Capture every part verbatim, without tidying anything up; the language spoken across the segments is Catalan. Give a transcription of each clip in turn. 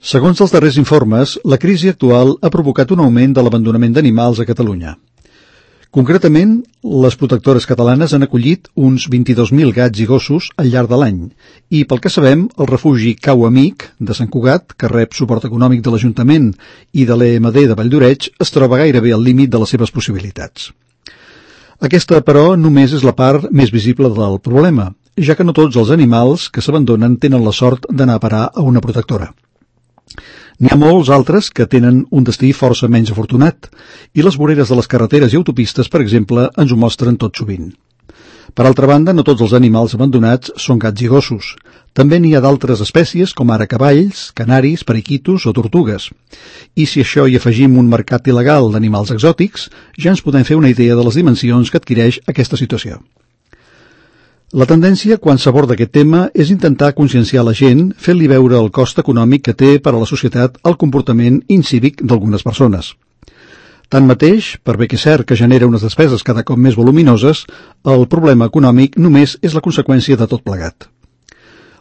Segons els darrers informes, la crisi actual ha provocat un augment de l'abandonament d'animals a Catalunya. Concretament, les protectores catalanes han acollit uns vint-i-dos mil gats i gossos al llarg de l'any i, pel que sabem, el refugi Cau Amic de Sant Cugat, que rep suport econòmic de l'Ajuntament i de l'E M D de Valldoreix, es troba gairebé al límit de les seves possibilitats. Aquesta, però, només és la part més visible del problema, ja que no tots els animals que s'abandonen tenen la sort d'anar a parar a una protectora. N'hi ha molts altres que tenen un destí força menys afortunat, i les voreres de les carreteres i autopistes, per exemple, ens ho mostren tot sovint. Per altra banda, no tots els animals abandonats són gats i gossos. També n'hi ha d'altres espècies, com ara cavalls, canaris, periquitos o tortugues. I si això hi afegim un mercat il·legal d'animals exòtics, ja ens podem fer una idea de les dimensions que adquireix aquesta situació. La tendència, quan s'aborda aquest tema, és intentar conscienciar la gent, fent-li veure el cost econòmic que té per a la societat el comportament incívic d'algunes persones. Tanmateix, per bé que és cert que genera unes despeses cada cop més voluminoses, el problema econòmic només és la conseqüència de tot plegat.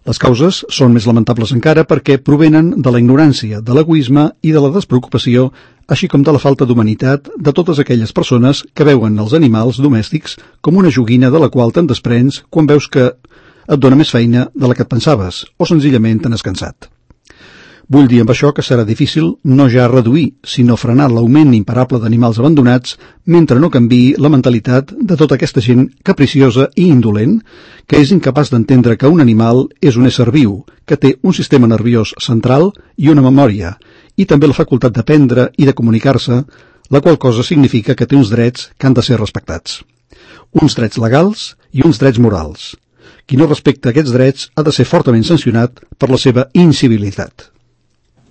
Les causes són més lamentables encara perquè provenen de la ignorància, de l'egoisme i de la despreocupació, així com de la falta d'humanitat de totes aquelles persones que veuen els animals domèstics com una joguina de la qual te'n desprens quan veus que et dona més feina de la que et pensaves o senzillament te n'has cansat. Vull dir amb això que serà difícil no ja reduir, sinó frenar l'augment imparable d'animals abandonats mentre no canviï la mentalitat de tota aquesta gent capriciosa i indolent que és incapaç d'entendre que un animal és un ésser viu, que té un sistema nerviós central i una memòria, i també la facultat d'aprendre i de comunicar-se, la qual cosa significa que té uns drets que han de ser respectats. Uns drets legals i uns drets morals. Qui no respecta aquests drets ha de ser fortament sancionat per la seva incivilitat.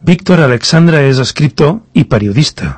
Víctor Alexandre és escriptor i periodista.